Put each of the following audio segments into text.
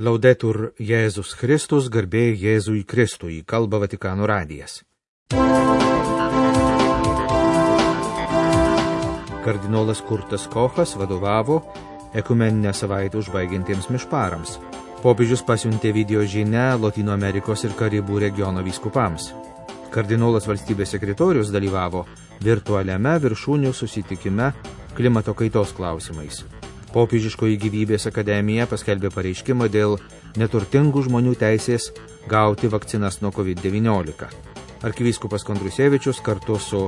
Laudetur Jėzus Kristus, garbė Jėzui Kristui, kalba Vatikano radijas. Kardinolas Kurtas Kochas vadovavo ekumeninę savaitę užbaigiantiems mišparams. Popiežius pasiuntė video žinią Lotynų Amerikos ir Karibų regiono vyskupams. Kardinolas valstybės sekretorius dalyvavo virtualiame viršūnių susitikime klimato kaitos klausimais. Popiežiškoji gyvybės akademija paskelbė pareiškimą dėl neturtingų žmonių teisės gauti vakcinas nuo COVID-19. Arkivyskupas Kondrusevičius kartu su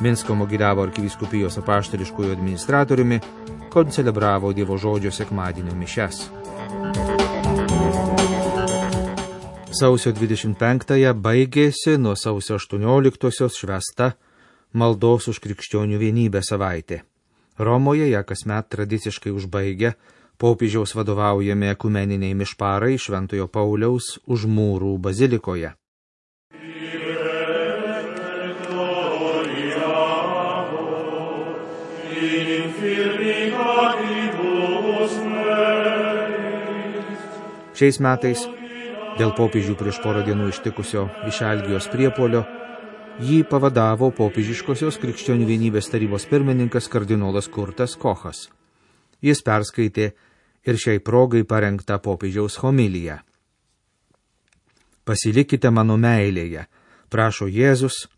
Minsko Mogiliavo arkivyskupijos apaštališkųjų administratoriumi koncelebravo Dievo žodžio sekmadienio mišias. Sausio 25-ąją baigėsi nuo sausio 18-osios švęsta maldos už krikščionių vienybę savaitė. Romoje ją kasmet tradiciškai užbaigia popiežiaus vadovaujami ekumeniniai mišparai Šventojo Pauliaus Užmūrų bazilikoje. Šiais metais, dėl popiežių prieš porą dienų ištikusio išalgijos priepuolio, jį pavadavo popiežiškosios krikščionių vienybės tarybos pirmininkas kardinolas Kurtas Kochas. Jis perskaitė ir šiai progai parengtą popiežiaus homiliją. Pasilikite mano meilėje, prašo Jėzus,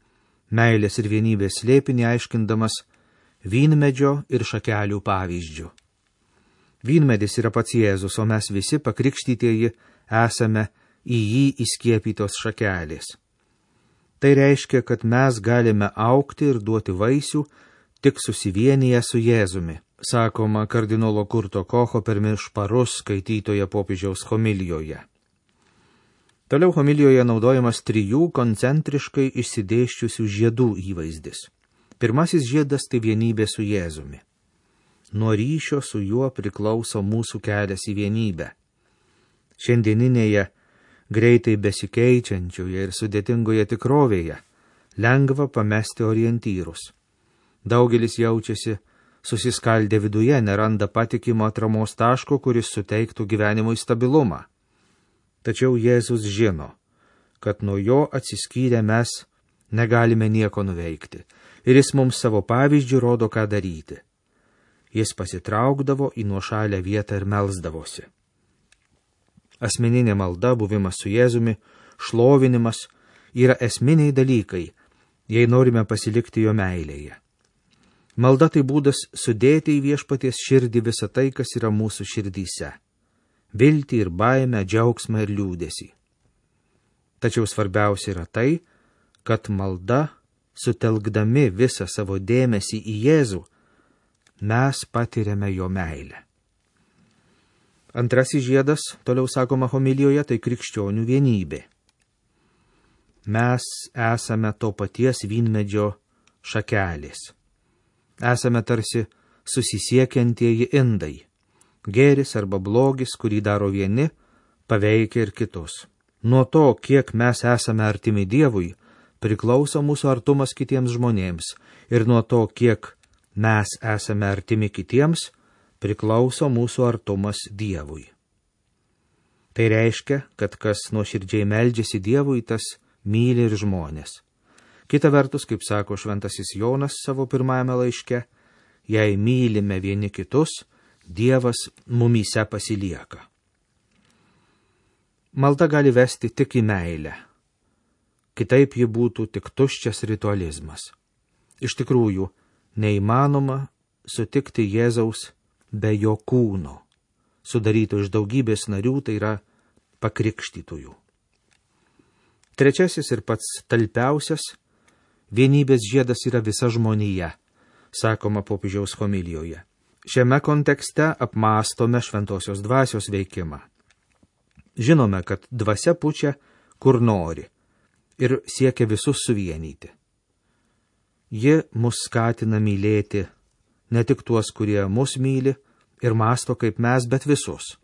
meilės ir vienybės slėpinį aiškindamas vynmedžio ir šakelių pavyzdžių. Vynmedis yra pats Jėzus, o mes visi pakrikštytieji esame į jį įskiepytos šakelės. Tai reiškia, kad mes galime augti ir duoti vaisių tik susivienyje su Jėzumi, sakoma kardinolo Kurto Kocho per mišparus skaitytoje popiežiaus homilijoje. Toliau homilijoje naudojamas 3 koncentriškai išsidėsčiusių žiedų įvaizdis. Pirmasis žiedas tai vienybė su Jėzumi. Nuo ryšio su juo priklauso mūsų kelias į vienybę. Šiandieninėje greitai besikeičiančioje ir sudėtingoje tikrovėje lengva pamesti orientyrus. Daugelis jaučiasi susiskaldę viduje, neranda patikimo atramos taško, kuris suteiktų gyvenimui stabilumą. Tačiau Jėzus žino, kad nuo jo atsiskyrę mes negalime nieko nuveikti, ir jis mums savo pavyzdžių rodo, ką daryti. Jis pasitraukdavo į nuošalę vietą ir melsdavosi. Asmeninė malda, buvimas su Jėzumi, šlovinimas yra esminiai dalykai, jei norime pasilikti jo meilėje. Malda tai būdas sudėti į viešpaties širdį visą tai, kas yra mūsų širdyse – viltį ir baimę, džiaugsmą ir liūdesį. Tačiau svarbiausia yra tai, kad malda, sutelkdami visą savo dėmesį į Jėzų, mes patiriame jo meilę. Antrasis žiedas, toliau sakoma homilijoje, tai krikščionių vienybė. Mes esame to paties vynmedžio šakelės. Esame tarsi susisiekiantieji indai. Gėris arba blogis, kurį daro vieni, paveikia ir kitus. Nuo to, kiek mes esame artimi Dievui, priklauso mūsų artumas kitiems žmonėms, ir nuo to, kiek mes esame artimi kitiems, priklauso mūsų artumas Dievui. Tai reiškia, kad kas nuoširdžiai meldžiasi Dievui, tas myli ir žmonės. Kita vertus, kaip sako šventasis Jonas savo pirmajame laiške, jei mylime vieni kitus, Dievas mumyse pasilieka. Malda gali vesti tik į meilę. Kitaip ji būtų tik tuščias ritualizmas. Iš tikrųjų, neįmanoma sutikti Jėzaus be jo kūno, sudaryto iš daugybės narių, tai yra pakrikštytųjų. Trečiasis ir pats talpiausias vienybės žiedas yra visa žmonija, sakoma popiežiaus homilijoje. Šiame kontekste apmąstome šventosios dvasios veikimą. Žinome, kad dvasia pučia, kur nori, ir siekia visus suvienyti. Ji mus skatina mylėti ne tik tuos, kurie mus myli ir mąsto kaip mes, bet visus.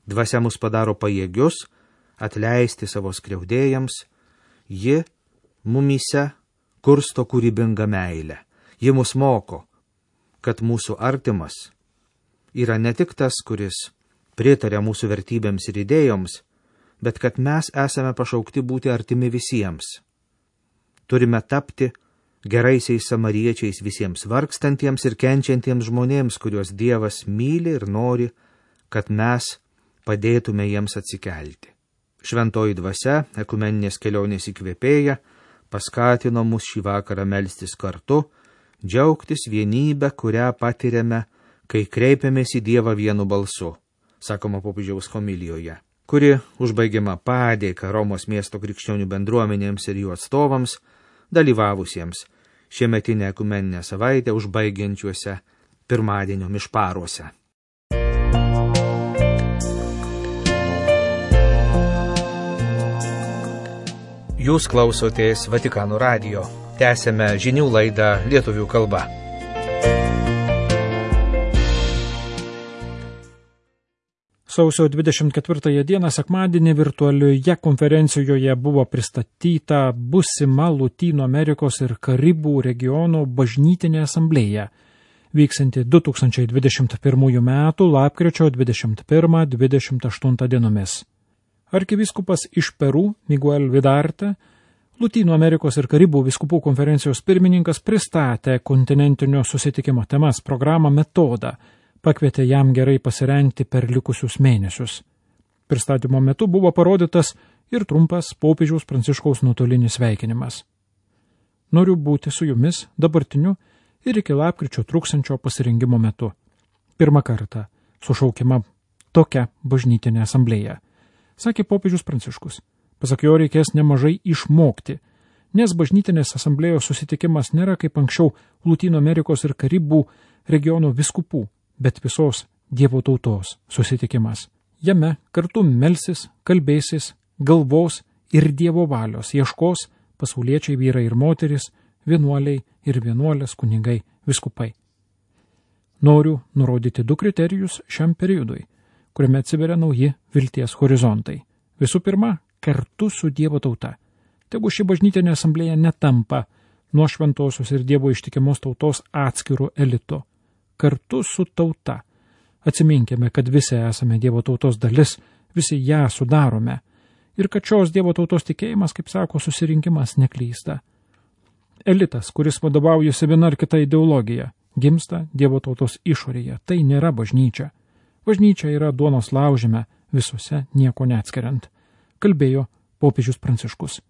Dvasia mus padaro pajėgius atleisti savo skriaudėjams. Ji mumyse kursto kūrybingą meilę. Ji mus moko, kad mūsų artimas yra ne tik tas, kuris pritaria mūsų vertybėms ir idėjoms, bet kad mes esame pašaukti būti artimi visiems. Turime tapti geraisiais samariečiais visiems vargstantiems ir kenčiantiems žmonėms, kuriuos Dievas myli ir nori, kad mes padėtume jiems atsikelti. Šventoji dvasia, ekumeninės kelionės įkvėpėja, paskatino mus šį vakarą melstis kartu, džiaugtis vienybę, kurią patiriame, kai kreipiamės į Dievą vienu balsu, sakoma popiežiaus homilijoje, kuri užbaigiama padėka Romos miesto krikščionių bendruomenėms ir jų atstovams, dalyvavusiems šiemetinę ekumeninę savaitę užbaigiančiuose pirmadienio mišparuose. Jūs klausotės Vatikano radijo. Tęsėme žinių laidą lietuvių kalba. Sausio 24 dieną sekmadienį virtualioje konferencijoje buvo pristatyta busima Lotynų Amerikos ir Karibų regiono bažnytinė asamblėja, vyksanti 2021 metų lapkričio 21-28 dienomis. Arkivyskupas iš Peru, Miguel Vidarte, Lotynų Amerikos ir Karibų vyskupų konferencijos pirmininkas pristatė kontinentinio susitikimo temas, programą, metodą, pakvietė jam gerai pasirengti per likusius mėnesius. Pristatymo metu buvo parodytas ir trumpas popiežiaus Pranciškaus nuotolinis sveikinimas. Noriu būti su jumis dabartiniu ir iki lapkričio truksiančio pasirengimo metu. Pirmą kartą sušaukiama tokia bažnytinė asamblėja, sakė popiežius Pranciškus. Pasak jo, reikės nemažai išmokti, nes bažnytinės asamblėjos susitikimas nėra kaip anksčiau Lotynų Amerikos ir Karibų regiono vyskupų, bet visos Dievo tautos susitikimas. Jame kartu melsis, kalbėsis, galvos ir Dievo valios ieškos pasauliečiai vyrai ir moteris, vienuoliai ir vienuolės, kunigai, vyskupai. Noriu nurodyti 2 kriterijus šiam periodui, kuriame atsiveria nauji vilties horizontai. Visų pirma, kartu su Dievo tauta. Tegu ši bažnytinė asamblėja netampa nuo šventosios ir Dievo ištikimos tautos atskirų elitų. Kartu su tauta. Atsiminkime, kad visi esame Dievo tautos dalis, visi ją sudarome. Ir kad šios Dievo tautos tikėjimas, kaip sako, susirinkimas neklysta. Elitas, kuris vadovaujasi viena ar kita ideologija, gimsta Dievo tautos išorėje. Tai nėra bažnyčia. Bažnyčia yra duonos laužime, visose nieko neatskiriant, kalbėjo popiežius Pranciškus.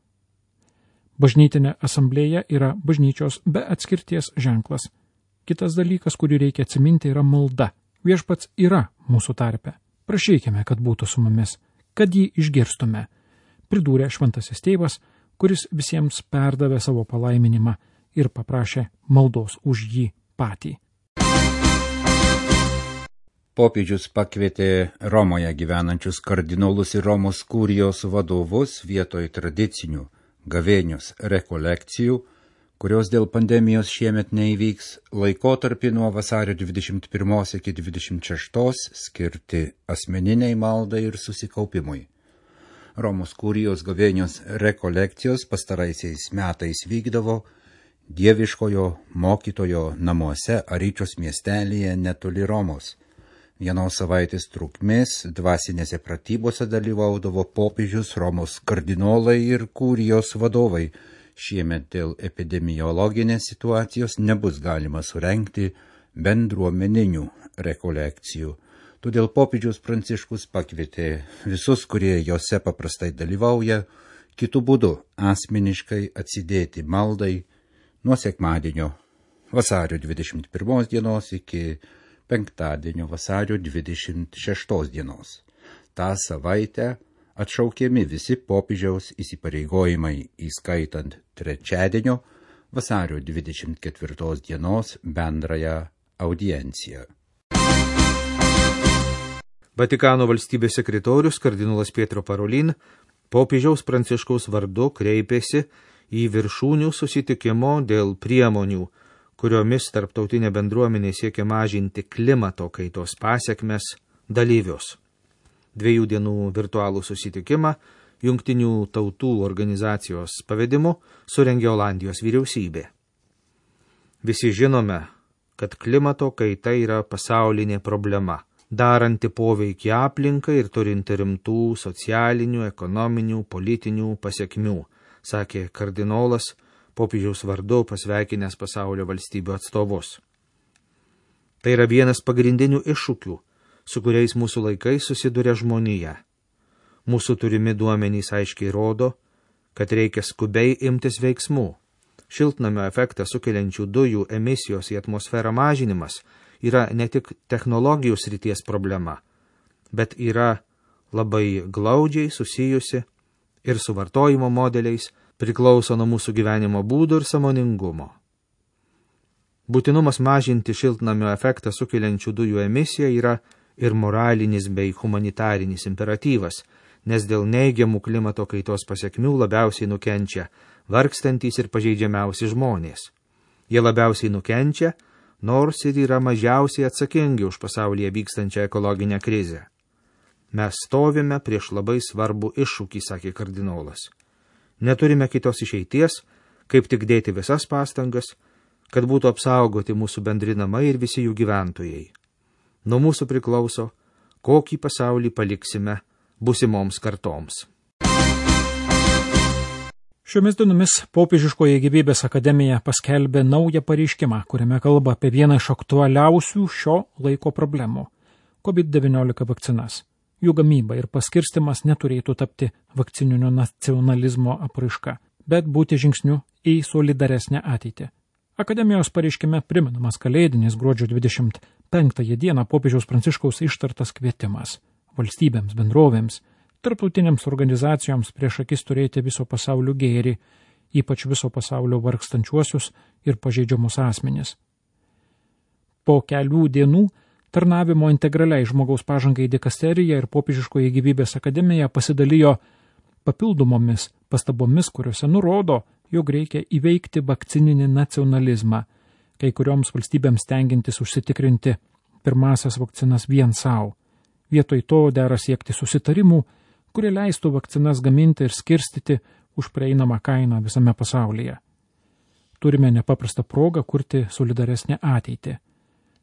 Bažnytinė asamblėja yra bažnyčios be atskirties ženklas. Kitas dalykas, kurį reikia atsiminti, yra malda. Viešpats yra mūsų tarpe. Prašykime, kad būtų su mumis, kad jį išgirstume, pridūrė šventasis tėvas, kuris visiems perdavė savo palaiminimą ir paprašė maldos už jį patį. Popiežius pakvietė Romoje gyvenančius kardinolus ir Romos kurijos vadovus vietoj tradicinių gavėnios rekolekcijų, kurios dėl pandemijos šiemet neįvyks, laikotarpį nuo vasario 21 iki 26 skirti asmeniniai maldai ir susikaupimui. Romos kurijos gavėnios rekolekcijos pastaraisiais metais vykdavo dieviškojo mokytojo namuose Aryčios miestelyje netoli Romos. Vienos savaitės trukmės dvasinėse pratybose dalyvaudavo popiežius, Romos kardinolai ir kurijos vadovai. Šiemet dėl epidemiologinės situacijos nebus galima surengti bendruomeninių rekolekcijų. Todėl popiežius Pranciškus pakvietė visus, kurie jose paprastai dalyvauja, kitų būdų asmeniškai atsidėti maldai nuo sekmadienio vasario 21 dienos iki penktadienio vasario 26 dienos. Ta savaitę atšaukiami visi popiežiaus įsipareigojimai, įskaitant trečiadienio vasario 24 dienos bendrąją audienciją. Vatikano valstybės sekretorius kardinolas Pietro Parolin popiežiaus Pranciškaus vardu kreipėsi į viršūnių susitikimo dėl priemonių, kuriomis tarptautinė bendruomenė siekia mažinti klimato kaitos pasekmes dalyvius. 2 dienų virtualų susitikimą Jungtinių tautų organizacijos pavedimu surengė Olandijos vyriausybė. Visi žinome, kad klimato kaita yra pasaulinė problema, daranti poveikį aplinkai ir turinti rimtų socialinių, ekonominių, politinių pasiekmių, sakė kardinolas popiežiaus vardu pasveikinęs pasaulio valstybių atstovus. Tai yra vienas pagrindinių iššūkių, su kuriais mūsų laikais susiduria žmonija. Mūsų turimi duomenys aiškiai rodo, kad reikia skubiai imtis veiksmų. Šiltnamio efektą sukeliančių dujų emisijos į atmosferą mažinimas yra ne tik technologijų srities problema, bet yra labai glaudžiai susijusi ir su vartojimo modeliais, priklauso nuo mūsų gyvenimo būdų ir sąmoningumo. Būtinumas mažinti šiltnamio efektą sukeliančių dujų emisiją yra ir moralinis bei humanitarinis imperatyvas, nes dėl neigiamų klimato kaitos pasiekmių labiausiai nukenčia vargstantys ir pažeidžiamiausi žmonės. Jie labiausiai nukenčia, nors ir yra mažiausiai atsakingi už pasaulyje vykstančią ekologinę krizę. Mes stovime prieš labai svarbų iššūkį, sakė kardinolas. Neturime kitos išeities, kaip tik dėti visas pastangas, kad būtų apsaugoti mūsų bendri namai ir visi jų gyventojai. Nuo mūsų priklauso, kokį pasaulį paliksime busimoms kartoms. Šiomis dienomis Popiežiškoji gyvybės akademija paskelbė naują pareiškimą, kuriame kalba apie vieną iš aktualiausių šio laiko problemų – COVID-19 vakcinas. Jų gamyba ir paskirstimas neturėtų tapti vakcininio nacionalizmo apraiška, bet būti žingsniu į solidaresnę ateitį. Akademijos pareiškime primenamas kalėdinis gruodžio 25 dieną popiežiaus Pranciškaus ištartas kvietimas valstybėms, bendrovėms, tarptautinėms organizacijoms prieš akis turėti viso pasaulio gėrį, ypač viso pasaulio vargstančiuosius ir pažeidžiamus asmenis. Po kelių dienų tarnavimo integraliai žmogaus pažangai dikasterija ir Popiežiškoji gyvybės akademija pasidalijo papildomomis pastabomis, kuriuose nurodo, jog reikia įveikti vakcininį nacionalizmą, kai kurioms valstybėms stengiantis užsitikrinti pirmasias vakcinas vien savo. Vietoj to dera siekti susitarimų, kurie leistų vakcinas gaminti ir skirstyti už prieinamą kainą visame pasaulyje. Turime nepaprastą progą kurti solidaresnę ateitį.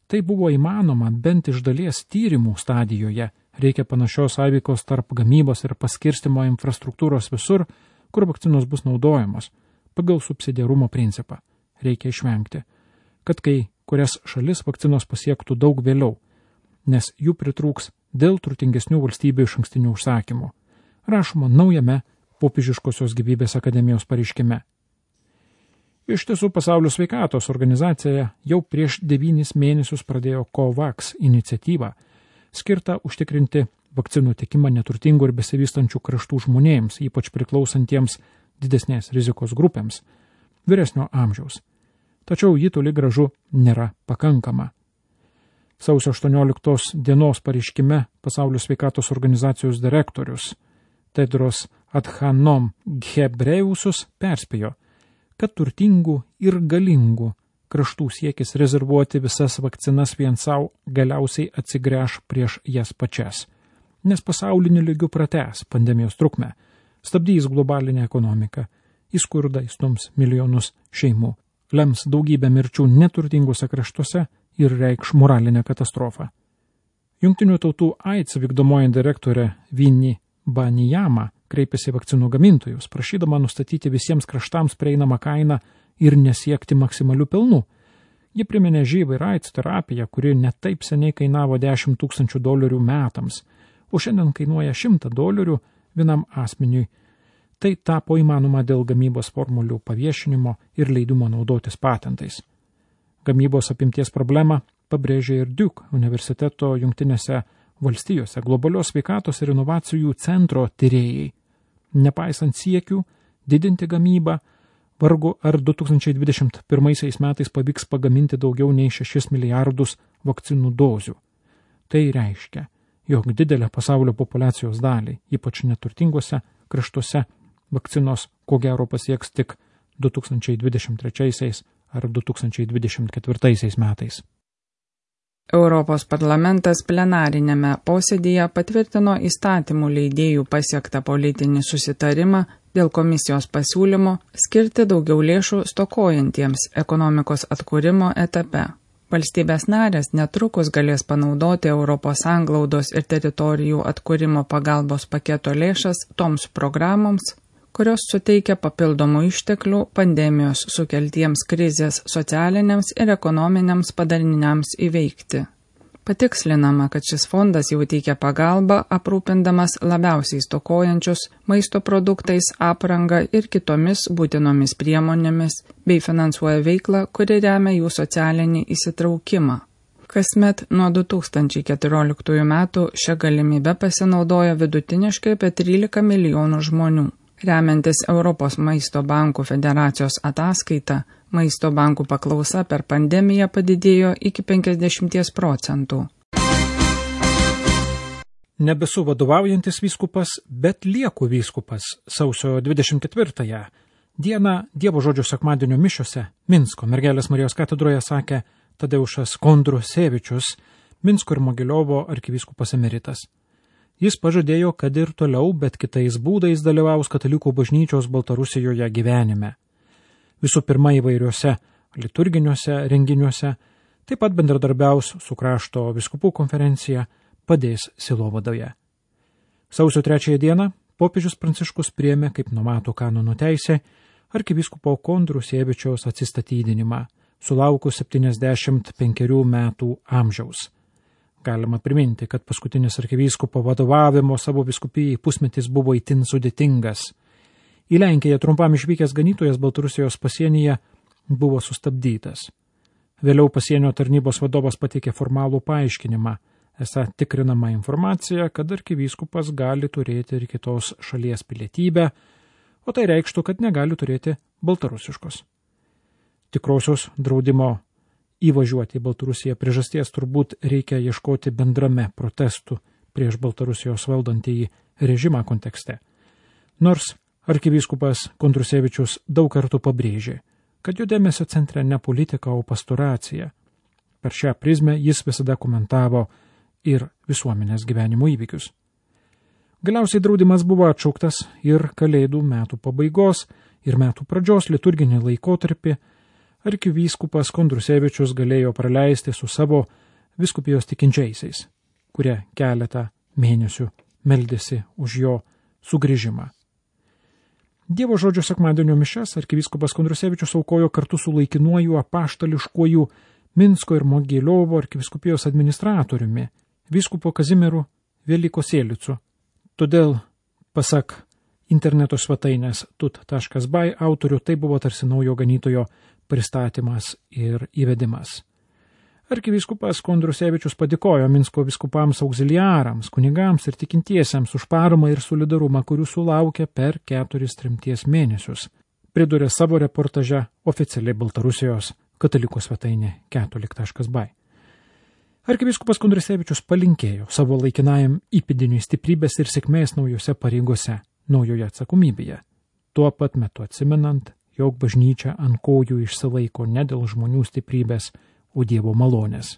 Tai buvo įmanoma bent iš dalies tyrimų stadijoje. Reikia panašios sąveikos tarp gamybos ir paskirstimo infrastruktūros visur, kur vakcinos bus naudojamos, pagal subsidiarumo principą. Reikia išvengti, kad kai kurias šalis vakcinos pasiektų daug vėliau, nes jų pritrūks dėl turtingesnių valstybių išankstinių užsakymų. Rašoma naujame Popiežiškosios gyvybės akademijos pareiškime. Iš tiesų, Pasaulio sveikatos organizacija jau prieš 9 mėnesius pradėjo COVAX iniciatyvą, skirtą užtikrinti vakcinų tiekimą neturtingų ir besivystančių kraštų žmonėms, ypač priklausantiems didesnės rizikos grupėms, vyresnio amžiaus. Tačiau ji toli gražu nėra pakankama. Sausio 18 dienos pareiškime Pasaulio sveikatos organizacijos direktorius Tedros Adhanom Ghebreyesus perspėjo, kad turtingų ir galingų kraštų siekis rezervuoti visas vakcinas vien savo galiausiai atsigręš prieš jas pačias, nes pasauliniu lygiu pratęs pandemijos trukmę, stabdys globalinę ekonomiką, į skurdą įstums milijonus šeimų, lems daugybę mirčių neturtingose kraštuose ir reikš moralinę katastrofą. Jungtinių tautų AIDS vykdomoji direktorė Vinnie Banijama kreipėsi vakcinų gamintojus, prašydama nustatyti visiems kraštams prieinamą kainą ir nesiekti maksimalių pelnų. Ji priminė živ ir AIDS terapiją, kuri netaip seniai kainavo $10,000 metams, o šiandien kainuoja $100 vienam asmeniui. Tai tapo įmanoma dėl gamybos formulių paviešinimo ir leidimo naudotis patentais. Gamybos apimties problemą pabrėžė ir Duke universiteto Jungtinėse valstijose globalios sveikatos ir inovacijų centro tyrėjai. Nepaisant siekių didinti gamybą, vargu ar 2021 metais pavyks pagaminti daugiau nei 6 milijardus vakcinų dozių. Tai reiškia, jog didelę pasaulio populacijos dalį, ypač neturtingose kraštuose, vakcinos ko gero pasieks tik 2023 ar 2024 metais. Europos parlamentas plenarinėme posėdyje patvirtino įstatymų leidėjų pasiektą politinį susitarimą dėl komisijos pasiūlymo skirti daugiau lėšų stokojantiems ekonomikos atkūrimo etape. Valstybės narės netrukus galės panaudoti Europos sanglaudos ir teritorijų atkūrimo pagalbos paketo lėšas toms programoms, kurios suteikia papildomų išteklių pandemijos sukeltiems krizės socialiniams ir ekonominiams padariniams įveikti. Patikslinama, kad šis fondas jau teikia pagalbą, aprūpindamas labiausiai stokojančius maisto produktais, apranga ir kitomis būtinomis priemonėmis, bei finansuoja veiklą, kuri remia jų socialinį įsitraukimą. Kasmet nuo 2014 metų šią galimybę pasinaudoja vidutiniškai apie 13 milijonų žmonių. Remiantis Europos maisto bankų federacijos ataskaita, maisto bankų paklausa per pandemiją padidėjo iki 50%. Nebesu vadovaujantis vyskupas, bet lieku vyskupas sausio 24 dieną Dievo žodžio sekmadienio mišiose Minsko Mergelės Marijos katedroje sakė Tadeušas Kondrusevičius, Minsko ir Mogiliovo arkivyskupas emeritas. Jis pažadėjo, kad ir toliau, bet kitais būdais dalyvaus katalikų bažnyčios Baltarusijoje gyvenime. Visų pirma įvairiuose liturginiuose renginiuose, taip pat bendradarbiaus su krašto vyskupų konferencija, padės sielovadoje. Sausio 3 dieną popiežius Pranciškus priėmė, kaip numato kanonų teisė, arkivyskupo Kondrusevičiaus atsistatydinimą, sulaukus 75 metų amžiaus. Galima priminti, kad paskutinis arkivyskupo vadovavimo savo vyskupijai pusmetis buvo itin sudėtingas. Į Lenkiją trumpam išvykęs ganytojas Baltarusijos pasienyje buvo sustabdytas. Vėliau pasienio tarnybos vadovas pateikė formalų paaiškinimą, esą tikrinama informacija, kad arkivyskupas gali turėti ir kitos šalies pilietybę, o tai reikštų, kad negali turėti baltarusiškos. Tikrosios draudimo įvažiuoti į Baltarusiją priežasties turbūt reikia ieškoti bendrame protestų prieš Baltarusijos valdantįjį režimą kontekste. Nors arkivyskupas Kondrusevičius daug kartų pabrėžė, kad jo dėmesio centre ne politika, o pastoracija. Per šią prizmę jis visada komentavo ir visuomenės gyvenimo įvykius. Galiausiai draudimas buvo atšauktas ir Kalėdų metų pabaigos ir metų pradžios liturginį laikotarpį arkivyskupas Kondrusevičius galėjo praleisti su savo vyskupijos tikinčiaisiais, kurie keletą mėnesių meldėsi už jo sugrįžimą. Dievo žodžio sekmadienio mišias arkivyskupas Kondrusevičius aukojo kartu su laikinuoju apaštališkuoju Minsko ir Mogiliovo arkivyskupijos administratoriumi, vyskupu Kazimieru Velikosėlicu. Todėl, pasak interneto svetainės tut.by autorių, tai buvo tarsi naujo ganytojo pristatymas ir įvedimas. Arkivyskupas Kondrusevičius padėkojo Minsko vyskupams auxiliarams, kunigams ir tikintiesiems už paramą ir solidarumą, kurių sulaukė per 4 tremties mėnesius. Pridūrė savo reportaže oficialiai Baltarusijos katalikų svetainė catholic.by. Arkivyskupas Kondrusevičius palinkėjo savo laikinajam įpėdiniui stiprybės ir sėkmės naujose pareigose, naujoje atsakomybėje, tuo pat metu atsimenant, jog bažnyčia ant kojų išsilaiko ne dėl žmonių stiprybės, o Dievo malonės.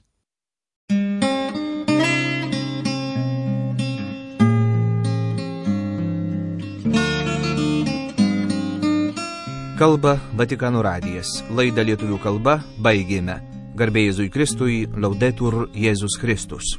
Kalba Vatikano radijas. Laidą lietuvių kalba baigėme. Garbė Jėzui Kristui, Laudetur Jėzus Kristus.